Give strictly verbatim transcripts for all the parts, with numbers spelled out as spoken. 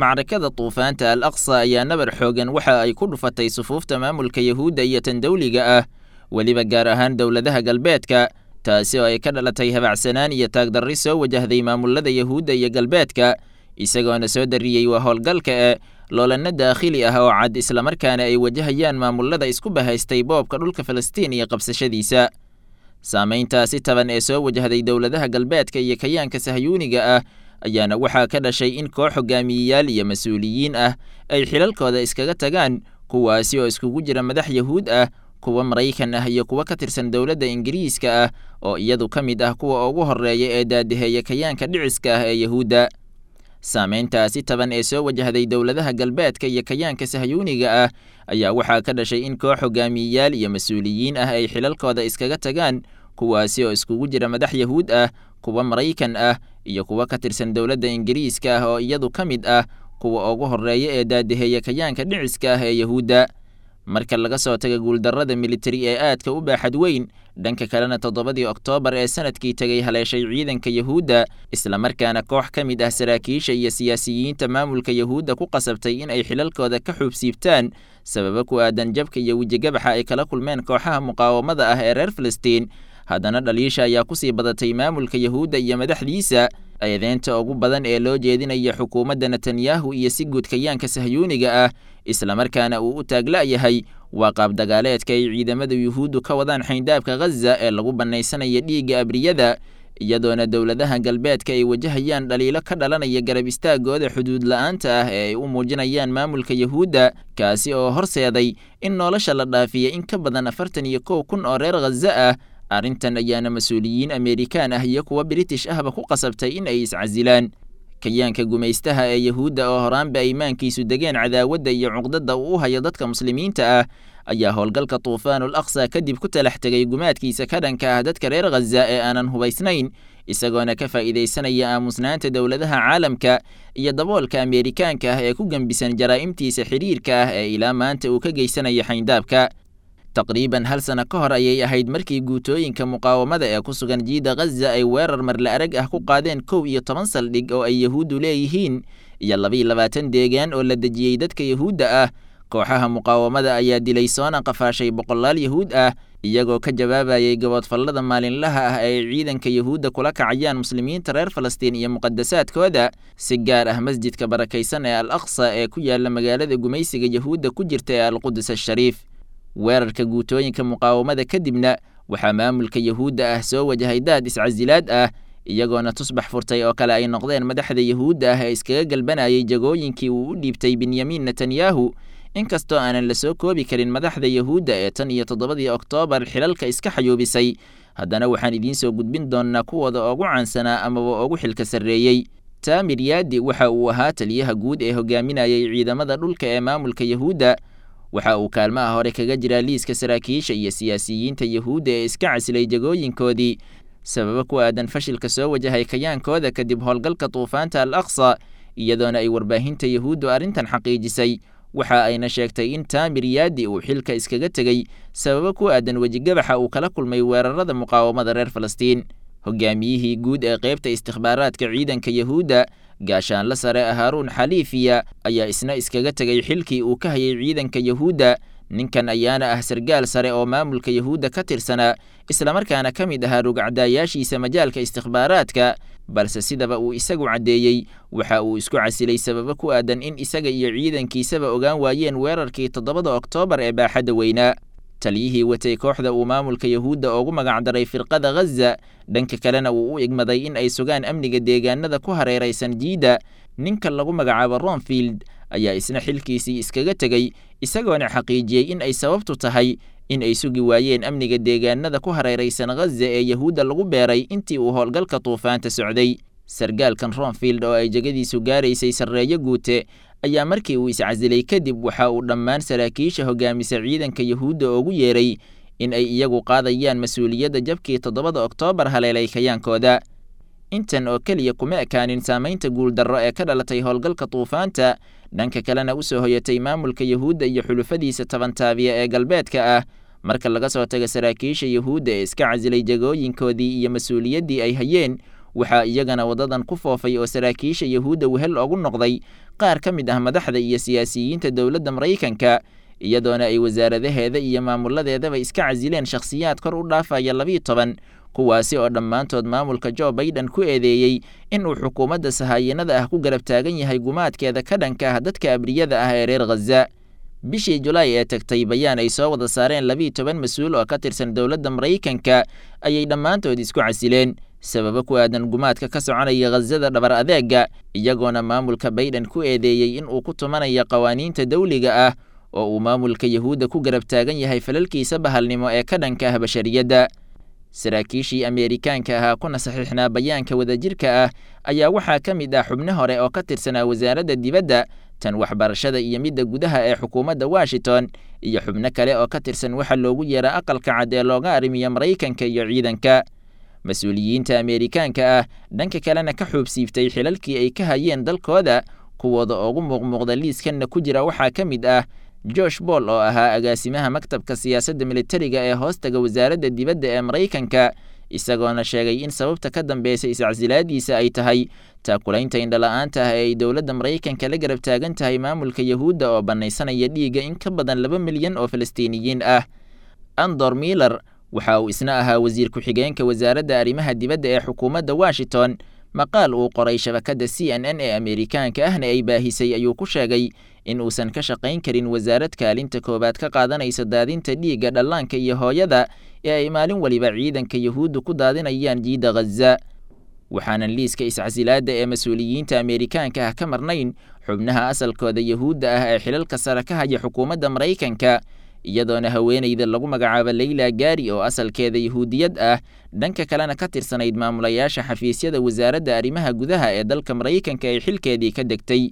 Macrakada Duufaanta Al Aqsa ayaa nabar xoogan waxa ay ku dhufatay sufuufta maamulka Yahuudda iyo tan dowliga ah, weliba gaar ahaan dowladaha galbeedka, taasi oo ay ka dhalatay habacsanaan iyo taagdarri soo wajahday maamulada Yahuudda iyo galbeedka, isagoona soo dariyey waa howlgalka ee loolanno daakhili ah oo cad, islamarkaana ay wajahayaan maamulada isku bahaystay boobka dhulka Falastiin iyo qabsashadiisa. Saamayntaasi taban ee soo wajahday dowladaha galbeedka iyo kayaanka sahyuuniga ah ayaana waxaa ka dhashay in koox hogaamiyeyaal iyo mas-uuliyiin ah ay xilalkooda iskaga tagaan, kuwaasi oo iskugu jira madax Yahuud ah, kuwa Maraykan ah iyo kuwa ka tirsan dowladda Ingiriiska ah oo iyadu ka mid ah kuwa ugu horreeya ee daadiheeya kayaanka dhiciska ah ee Yahuudda. Saameyntaasi taban ee soo wajahday dowladaha galbeedka iyo kayaanka sahyuuniga ah ayaa waxaa ka dhashay in koox hogaamiyeyaal iyo mas-uuliyiin ah ay xilalkooda iskaga tagaan, kuwaasi oo iskugu jira madax Yahuud ah, kuwa Maraykan ah iyo kuwa ka tirsan dowladda Ingiriiska ah oo iyadu ka mid ah kuwa ugu horreeya ee daadiheeya kayaanka dhiciska ah ee Yahuudda. Marka laga soo taga guuldarrada militari ee aadka u baaxad weyn, dhanka kalena toddobadii Oktoobar ee sanadkii tegay haleeshay ciidanka Yahuudda, islamarkaana koox ka mid ah saraakiisha iyo siyaasiyiinta maamulka Yahuudda ku qasabtay in ay xilalkooda ka xuubsiibtaan sababo ku aadan jabka iyo wejigabaxa ay kala kulmeen kooxaha muqaawamada ah ee reer Filistiin, haddana dhaliisha ayaa kusii badatay maamulka Yahuudda iyo madaxdiisa. Eedeynta ugu badan ee loo jeedinaya xukuumadda Netanyahu iyo si guud kayaanka sahyuuniga ah, islamarkaana uu u taagla-yahay, waa qaab dagaaleedka ay ciidamada Yuhuuddu ka wadaan xayndaabka Ghaza ee lagu bannaysanayo dhiigga abriyada, iyadoona dowladaha galbeedka ay wajahayaan dhaliilo ka dhalanaya garab istaagooda xuduud la-aanta ah ee ay u muujinayaan maamulka Yahuudda, kaasi oo horseeday in nolosha la dhaafiya in ka badan afartan iyo kow kun oo reer Ghaza ah. Arrintan ayaana mas-uuliyiin Ameerikaan ah iyo kuwa British ahba ku qasabtay in ay iscasilaan. Kayaanka gumaystaha ee Yahuudda oo horaanba aymaankiisu degeen cadaawadda iyo cuqdadda uu u hayo dadka muslimiinta ah ayaa howlgalka Tuufaanul Aqsa kadib ku talax tegay gumaadkiisa ka dhanka ah dadka reer Ghaza ee aanan hubaysnayn, isagoona ka faa'iidaysanaya aamusnaanta dowladaha caalamka iyo daboolka Ameerikaanka ah ee ku gembisan jaraa'imtiisa xidhiirka ah ee ilaa maanta uu ka geysanayo xayndaabka. Taqriiban hal sano ka hor ayay ahayd markii guutooyinka muqaawamada ee ku sugan jiida Ghaza ay weerar marla arag ah ku qaadeen kow iyo toban saldhig oo ay Yahuuddu leeyihiin iyo laba iyo labaatan deegaan oo la dejiyey dadka Yahuudda ah. Kooxaha muqaawamada ayaa dilay soona qafaashay boqolaal Yahuud ah, iyagoo ka jawaabayay gaboodfallada maalinlaha ah ee ay ciidanka Yahuudda kula kacayaan muslimiinta reer Falastiin iyo muqadasaadkooda, si gaar ah masjidka barakaysan ee Al Aqsa ee ku yaala magaalada gumaysiga Yahuudda ku jirta ee Alqudus Ashariif. Weerarka guutooyinka muqaawamada kadibna waxaa maamulka Yahuudda ah soo wajahay daad iscasilaad ah, iyagoona tusbax furtay oo kale ay noqdeen madaxda Yahuudda ah ee iskaga galbanayay jagooyinkii uu u dhiibtay Benyamin Netanyahu. Inkastoo aanan la soo koobi karin madaxda Yahuudda ee tan iyo toddobadii Oktoobar xilalka iska xayuubisay, haddana waxaan idiin soo gudbin doonnaa kuwooda ugu caansanaa amaba ugu xilka sarreeyey. Taamir Yaadi waxa uu ahaa taliyaha guud ee hogaaminayay ciidamada dhulka ee maamulka Yahuudda. Waxa uu kaalmaha hore kaga jiraa liiska saraakiisha iyo siyaasiyiinta Yahuudda ee iska casilay jagooyinkoodii sababo ku aadan fashilka soo wajahay kayaankooda kadib howlgalka Duufaanta Al Aqsa, iyadoona ay warbaahinta Yahuuddu arrintan xaqiijisay. Waxa ayna sheegtay in Taamir Yaadi uu xilka iskaga tegey sababo ku aadan wejigabaxa uu kala kulmay weerarada muqaawamada reer Falastiin. Hogaamiyihii guud ee qaybta istikhbaaraadka ciidanka Yahuudda, gaashaanla sare Haaruun Xaliifiya, ayaa isna iskaga tegay xilkii uu ka hayay ciidanka Yahuudda. Ninkan ayaana ah sargaal sare oo maamulka Yahuudda ka tirsanaa, islamarkaana ka mid ahaa rugcadaayaashiisa majaalka istikhbaaraadka, balse sidaba uu isagu caddeeyey waxa uu isku casilay sababo ku aadan in isaga iyo ciidankiisaba ogaan waayeen weerarkii toddobada Oktoobar ee baaxadda weynaa. Taliyihii watay kooxda uu maamulka Yahuudda ugu magacdaray Firqada Ghaza, dhanka kalena uu u igmaday in ay sugaan amniga deegaanada ku hareeraysan jiida, ninka lagu magacaabo Ronfield, ayaa isna xilkiisii iskaga tegey, isagoona xaqiijiyey in ay sababtu tahay in ay sugi waayeen amniga deegaanada ku hareeraysan Ghaza ee Yahuudda lagu beeray intii uu howlgalka duufaanta socday. Sargaalkan Ronfield oo ay jegadiisu gaaraysay sarreeyo guute ayaa markii uu iscasilay kadib waxa uu dhammaan saraakiisha hogaamisa ciidanka Yahuudda ugu yeeray in ay iyagu qaadayaan mas-uuliyadda jabkii toddobada Oktoobar haleelay kayaankooda. Intan oo keliya kuma ekaanin saamaynta guuldarro ee ka dhalatay howlgalka duufaanta, dhanka kalena u soo hoyatay maamulka Yahuudda iyo xulufadiisa tabantaabiya ee galbeedka ah. Marka laga soo tago saraakiisha Yahuudda ee iska casilay jagooyinkoodii iyo mas-uuliyaddii ay hayeen, Waxaa iyagana waddadan ku foofay oo saraakiisha Yahuudda wehel ugu noqday qaar ka mid ah madaxda iyo siyaasiyiinta dowladda Maraykanka, iyadoona ay wasaaradaheeda iyo maamuladeedaba iska casileen shakhsiyaad kor u dhaafaya labiyo toban, kuwaasi oo dhammaantood maamulka Joe Biden ku eedeeyey in uu xukuumadda sahaayinada ah ku garab taagan yahay gumaadkeeda ka dhanka ah dadka abriyada ah ee reer Khaza. Bishii Julaay ee tagtay, bayaan ay soo wada saareen labiyo toban mas-uul oo ka tirsan dowladda Maraykanka ayay dhammaantood isku casileen sababo ku aadan gumaadka ka soconaya Khazada dhabar adeega, iyagoona maamulka Biden ku eedeeyey in uu ku tumanayo qawaaniinta dawliga ah oo uu maamulka Yahuudda ku garab taagan yahay falalkiisa bahalnimo ee ka dhanka ah bashariyadda. Saraakiishii Ameerikaanka ahaa kuna saxiixnaa bayaanka wadajirka ah ayaa waxaa ka mid ah xubno hore oo ka tirsanaa wasaaradda dibadda, tan waxbarashada iyo midda gudaha ee xukuumadda Washington, iyo xubno kale oo ka tirsan waxa loogu yeera Aqalka Cad ee looga arrimiyo Maraykanka iyo ciidanka. Mas-uuliyiinta Ameerikaanka ah dhanka kalena ka xuubsiiftay xilalkii ay ka hayeen dalkooda, kuwooda ugu muuqmuuqda liiskanna ku jira waxaa ka mid ah Josh Paul oo ahaa agaasimaha maktabka siyaasadda militariga ee hoostaga wasaaradda dibadda ee Maraykanka, isagoona sheegay in sababta ka dambeysa iscasilaadiisa ay tahay taakulaynta indhala-aanta ah ee ay dowladda Maraykanka la garab taagan tahay maamulka Yahuudda oo bannaysanaya dhiigga in ka badan laba milyan oo Falastiiniyiin ah. Andor Miller waxa uu isna ahaa wasiir ku-xigeenka wasaaradda arrimaha dibadda ee xukuumadda Washington. Maqaal uu qoray shabakadda C N N ee Ameerikaanka ahna ay baahisay ayuu ku sheegay in uusan ka shaqayn karin wasaarad kaalinta koowaad ka qaadanaysa daadinta dhiigga dhallaanka iyo hooyada ee ay maalin waliba ciidanka Yahuuddu ku daadinayaan jiidda Khaza. Waxaanan liiska iscasilaadda ee mas-uuliyiinta Ameerikaanka ah ka marnayn xubnaha asalkooda Yahuudda ah ee xilalka sare ka haya xukuumadda Maraykanka, iyadoona haweeneyda lagu magacaabo Leyla Gaari oo asalkeeda Yahuudiyad ah dhanka kalena ka tirsanayd maamulayaasha xafiisyada wasaaradda arrimaha gudaha ee dalka Maraykanka ay xilkeedii ka degtay.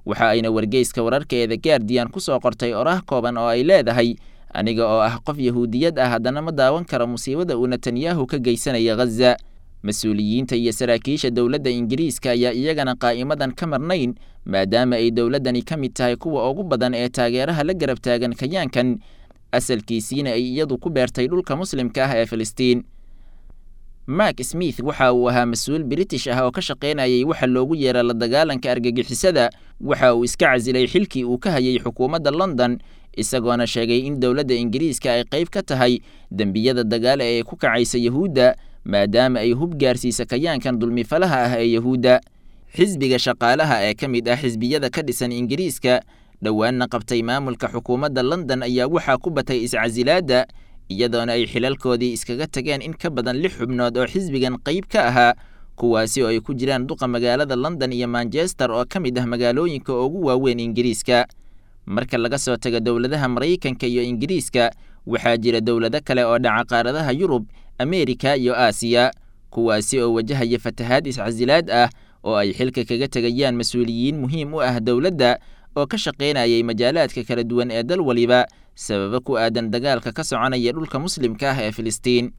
Waxa ayna wargeyska wararkeeda Guardian ku soo qortay oraah kooban oo ay leedahay: aniga oo ah qof Yahuudiyad ah haddana ma daawan karo musiibada uu Netanyahu ka geysanaya Khaza. Mas-uuliyiinta iyo saraakiisha dowladda Ingiriiska ayaa iyagana qaa'imadan ka marnayn, maadaama ay dowladdani ka mid tahay kuwa ugu badan ee taageeraha la garab taagan kayaankan, asalkiisiina ay iyadu ku beertay dhulka muslimka ah ee Filistiin. Mark Smith waxa uu ahaa mas-uul British ah oo ka shaqaynayay waxa loogu yeera la dagaalanka argagixisada. Waxa uu iska casilay xilkii uu ka hayay xukuumadda London, isagoona sheegay in dowladda Ingiriiska ay qayb ka tahay dembiyada dagaal ee ay ku kacaysa Yahuudda, maadaama ay hub gaarsiisa kayaankan dulmifalaha ah ee Yahuudda. Xisbiga shaqaalaha ee ka mid ah xisbiyada ka dhisan Ingiriiska dhowaanna qabtay maamulka xukuumadda London ayaa waxaa ku batay iscasilaadda, iyadoona ay xilalkoodii iskaga tageen in ka badan lix xubnood oo xisbigan qayb ka ahaa, kuwaasi oo ay ku jiraan duqa magaalada London iyo Manchester oo ka mid ah magaalooyinka ugu waaweyn Ingiriiska. Marka laga soo tago dowladaha Maraykanka iyo Ingiriiska, waxaa jira dowlado kale oo dhaca qaaradaha Yurub, Ameerika iyo Aasiya, kuwaasi oo wajahaya fatahaad iscasilaad ah oo ay xilka kaga tegayaan mas-uuliyiin muhiim u ah dowladda oo ka shaqaynayay majaalaadka kala duwan ee dal waliba sababo ku aadan dagaalka ka soconaya dhulka muslimka ah ee Filistiin.